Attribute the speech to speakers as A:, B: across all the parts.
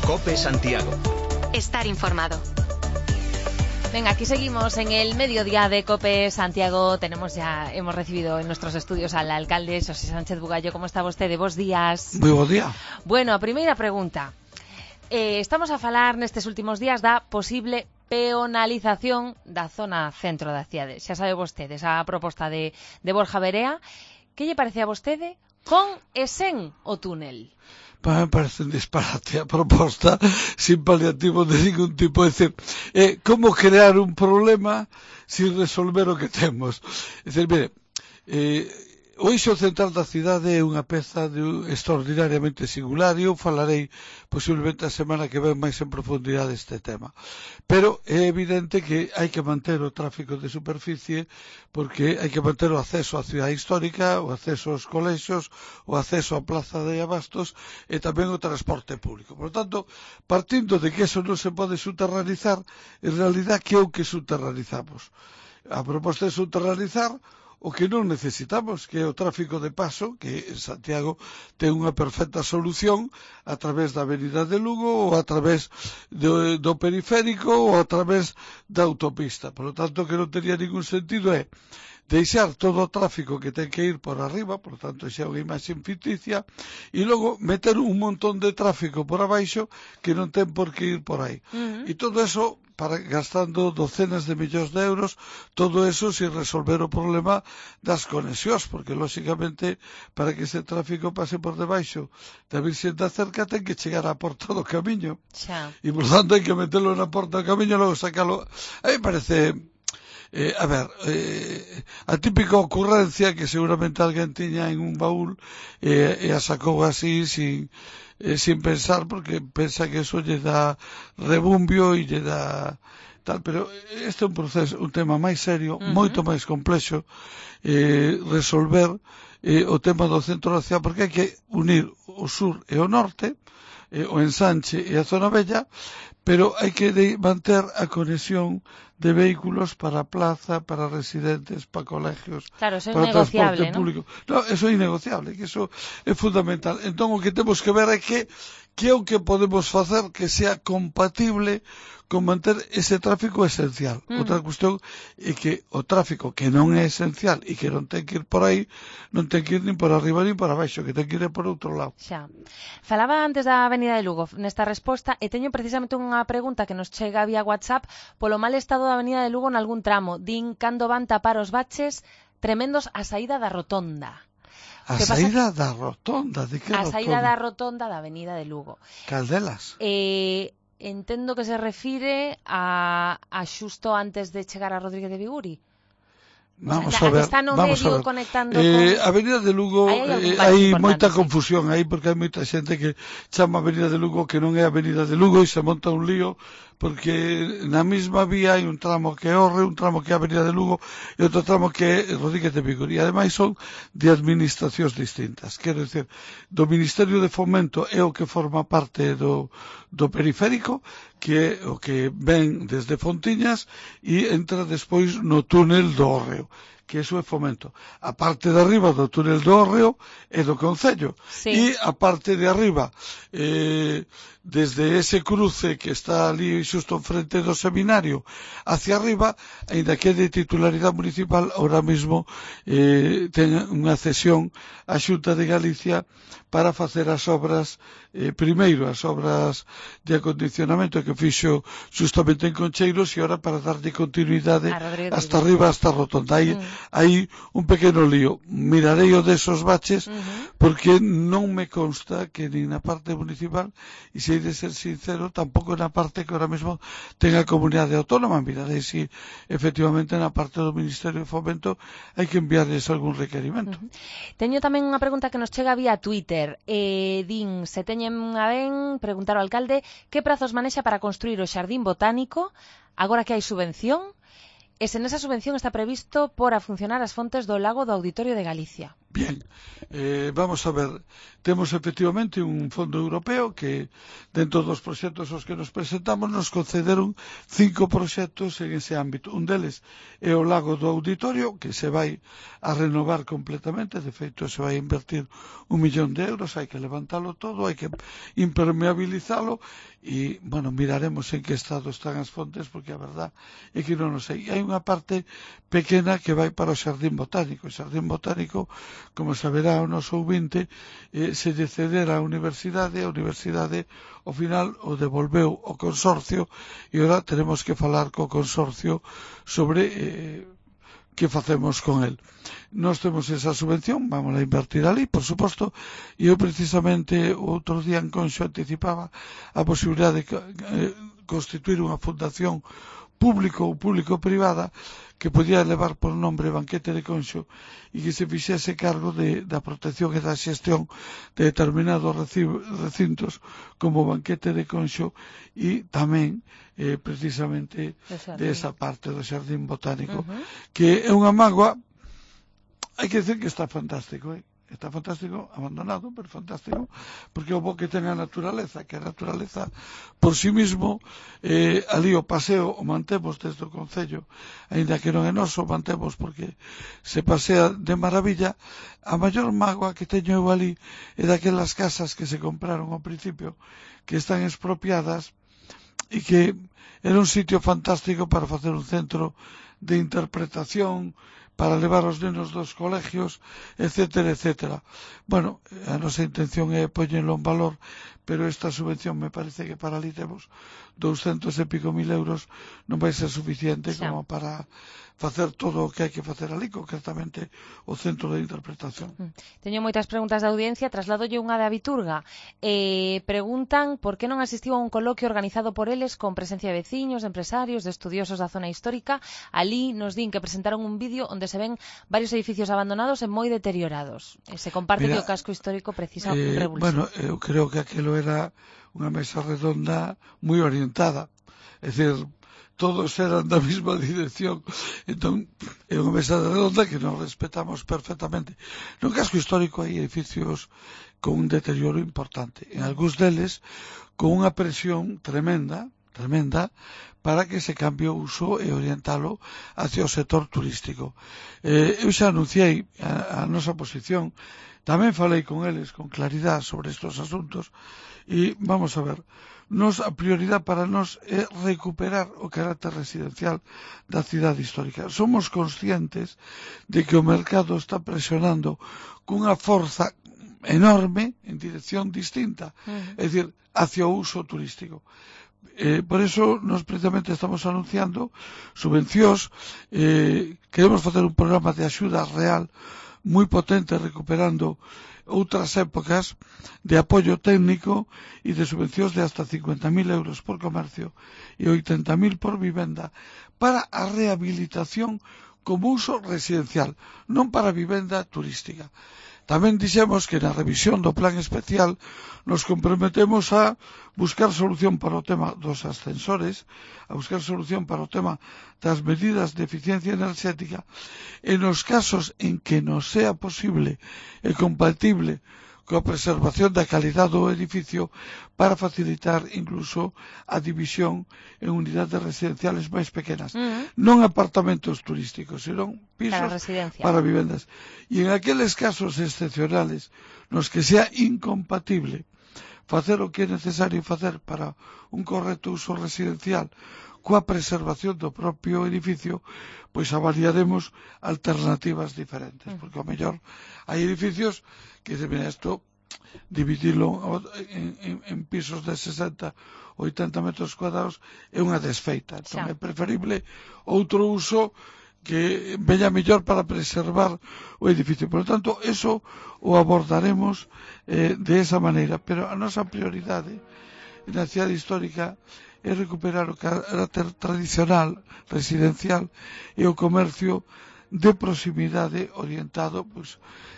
A: COPE Santiago.
B: Estar informado.
C: Venga, aquí seguimos en el mediodía de COPE Santiago. Hemos recibido en nuestros estudios al alcalde Xosé Sánchez Bugallo. ¿Cómo está vostede? Bos días.
D: Moi bo día.
C: Bueno, a primeira pregunta. Estamos a falar nestes últimos días da posible peonalización da zona centro da cidade. Xa sabe vostede, esa proposta de Borja Verea. Que lle parece a vostede con e sen o túnel?
D: Para me parece un disparate a proposta sin paliativo de ningún tipo. É dicir, como crear un problema sin resolver o que temos. É dicir, mire, o eixo central da cidade é unha peza extraordinariamente singular e eu falarei posiblemente a semana que ven máis en profundidade este tema. Pero é evidente que hai que manter o tráfico de superficie porque hai que manter o acceso á cidade histórica, o acceso aos colexios, o acceso á plaza de abastos e tamén o transporte público. Por lo tanto, partindo de que eso non se pode subterranizar, en realidad que é o que subterranizamos? A proposta é subterranizar o que non necesitamos, que é o tráfico de paso, que en Santiago ten unha perfecta solución a través da Avenida de Lugo ou a través do periférico ou a través da autopista. Por lo tanto, que non tería ningún sentido é deixar todo o tráfico que ten que ir por arriba, por lo tanto, xa é unha imaxe ficticia, e logo meter un montón de tráfico por abaixo que non ten por que ir por aí. E todo eso gastando docenas de millóns de euros, todo eso sin resolver o problema das conexións, porque, lóxicamente, para que ese tráfico pase por debaixo da Virxen da Cerca ten que chegar á porta do camiño. E, por tanto, hai que meterlo na porta do camiño e logo sacalo. A mí me parece... a típica ocurrencia que seguramente alguén tiña en un baúl e a sacou así sin pensar, porque pensa que eso lle dá rebumbio e lle dá tal, pero este é un tema máis serio, moito máis complexo, resolver o tema do centro da cidade, porque hai que unir o sur e o norte, o ensanche e a zona bella, pero hai que manter a conexión de vehículos para a plaza, para residentes, para colegios,
C: claro, eso é
D: para transporte
C: ¿no?
D: público. No, eso é innegociable, que eso é fundamental. Entón, o que temos que ver é que é o que podemos facer que sea compatible con manter ese tráfico esencial. Outra cuestión é que o tráfico que non é esencial e que non ten que ir por aí, non ten que ir nin por arriba nin por abaixo, que ten que ir por outro lado.
C: Xa. Falaba antes da Avenida de Lugo nesta resposta e teño precisamente unha pregunta que nos chega vía WhatsApp polo mal estado da Avenida de Lugo nalgún tramo. Din cando van tapar os baches tremendos a saída da rotonda.
D: A saída da rotonda? De que rotonda?
C: A saída da rotonda da Avenida de Lugo.
D: Caldelas?
C: Entendo que se refire a xusto antes de chegar a Rodríguez de Viguri.
D: Vamos a ver.
C: Está no medio conectando con...
D: A Avenida de Lugo hai moita confusión aí, porque hai moita xente que chama Avenida de Lugo que non é Avenida de Lugo e se monta un lío, porque na mesma vía hai un tramo que é Orre, un tramo que é Avenida de Lugo e outro tramo que é Rodríguez de Viguri. E ademais son de administracións distintas. Quero dizer, do Ministerio de Fomento é o que forma parte do periférico, que é o que ven desde Fontiñas e entra despois no túnel do Hórreo, que eso é Fomento. A parte de arriba do túnel do Hórreo é do Concello. E a parte de arriba, desde ese cruce que está ali xusto enfrente do seminario hacia arriba, aínda que é de titularidade municipal, ahora mesmo ten unha cesión á Xunta de Galicia para facer as obras, primeiro as obras de acondicionamento que fixo justamente en Concheiros e ahora para darlle continuidade hasta arriba, hasta a rotonda. Hai un pequeno lío. Mirarei o desos baches porque non me consta que nin na parte municipal, e se hai de ser sincero, tampouco na parte que ahora mesmo ten a comunidade autónoma. Mirarei se efectivamente na parte do Ministerio de Fomento hai que enviarles algún requerimento.
C: Teño tamén unha pregunta que nos chega vía Twitter. Din, se teñen a ben preguntar ao alcalde que prazos manexa para construir o Xardín Botánico agora que hai subvención e se nesa subvención está previsto por a funcionar as fontes do lago do Auditorio de Galicia.
D: Bien, vamos a ver, temos efectivamente un fondo europeo que dentro dos proxectos aos que nos presentamos nos concederon 5 proxectos en ese ámbito. Un deles é o Lago do Auditorio, que se vai a renovar completamente, de feito se vai a invertir 1.000.000 de euros, hai que levantalo todo, hai que impermeabilizalo e, bueno, miraremos en que estado están as fontes porque a verdad é que non o sei. Hai unha parte pequena que vai para o Xardín Botánico. O Xardín Botánico, como saberá o noso ouvinte, se lle cedera a universidade ao final o devolveu o consorcio e ora teremos que falar co consorcio sobre que facemos con el. Nós temos esa subvención, vamos a invertir ali, por suposto, e eu precisamente outro día en Conxo anticipaba a posibilidade de constituir unha fundación público ou público-privada que podía levar por nombre Banquete de Conxo e que se fixese cargo da protección e da xestión de determinados recintos como Banquete de Conxo e tamén precisamente desa parte do Xardín Botánico, que é unha mágoa, hai que decir que está fantástico, Está fantástico, abandonado, pero fantástico, porque o bo que ten a naturaleza, que a naturaleza por sí mismo, ali o paseo o mantemos desde o Concello, aínda que non é noso, mantemos porque se pasea de maravilla. A maior mágoa que teño eu ali é daquelas casas que se compraron ao principio, que están expropiadas e que era un sitio fantástico para facer un centro de interpretación, para levar os nenos dos colegios, etcétera, etcétera. Bueno, a nosa intención é poñelo en valor, pero esta subvención me parece que para ali temos 200 e pico mil euros, non vai ser suficiente como para facer todo o que hai que facer ali, concretamente o centro de interpretación.
C: Teño moitas preguntas da audiencia, trasladolle unha de Abiturga. Preguntan por que non asistiu a un coloquio organizado por eles con presencia de veciños, de empresarios, de estudiosos da zona histórica. Ali nos din que presentaron un vídeo onde se ven varios edificios abandonados e moi deteriorados. Se comparte que o casco histórico precisa revulsión.
D: Bueno, eu creo que aquilo era unha mesa redonda moi orientada, é dicir, todos eran da mesma dirección, entón é unha mesa redonda que nos respetamos perfectamente. No casco histórico hai edificios con un deterioro importante, en algúns deles con unha presión tremenda para que se cambie o uso e orientalo hacia o sector turístico. Eu xa anunciei a nosa posición, tamén falei con eles con claridade sobre estes asuntos e vamos a ver, a prioridade para nós é recuperar o carácter residencial da cidade histórica. Somos conscientes de que o mercado está presionando cunha forza enorme en dirección distinta, é dicir, hacia o uso turístico. Por eso nos precisamente estamos anunciando subvencións, queremos facer un programa de axuda real moi potente recuperando outras épocas de apoio técnico e de subvencións de hasta 50.000 euros por comercio e 80.000 por vivenda para a rehabilitación como uso residencial, non para vivenda turística. Tamén dixemos que na revisión do plan especial nos comprometemos a buscar solución para o tema dos ascensores, a buscar solución para o tema das medidas de eficiencia enerxética e nos casos en que nos sea posible e compatible coa preservación da calidade do edificio para facilitar incluso a división en unidades residenciales máis pequenas. Non apartamentos turísticos, senón pisos para vivendas. E en aqueles casos excepcionales nos que sea incompatible facer o que é necesario facer para un correcto uso residencial coa preservación do propio edificio, pois avaliaremos alternativas diferentes, porque ao mellor hai edificios que deben isto dividilo en pisos de 60 ou 80 metros cuadrados é unha desfeita, entón é preferible outro uso que veña mellor para preservar o edificio. Por lo tanto, eso o abordaremos de esa maneira, pero a nosa prioridade na cidade histórica é recuperar o carácter tradicional, residencial e o comercio de proximidade orientado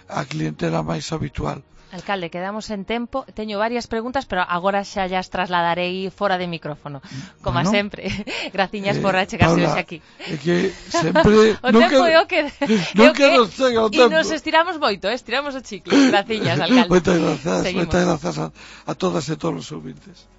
D: á clientela máis habitual.
C: Alcalde, quedamos en tempo. Teño varias preguntas, pero agora xa llas trasladarei fora de micrófono. Como sempre. Graciñas por achegarse hoxe aquí.
D: É que sempre...
C: o tempo é o que...
D: Nunca nos chega o tempo.
C: E nos estiramos moito, estiramos o chicle. Graciñas, alcalde.
D: Moitas grazas a todas e todos os ouvintes.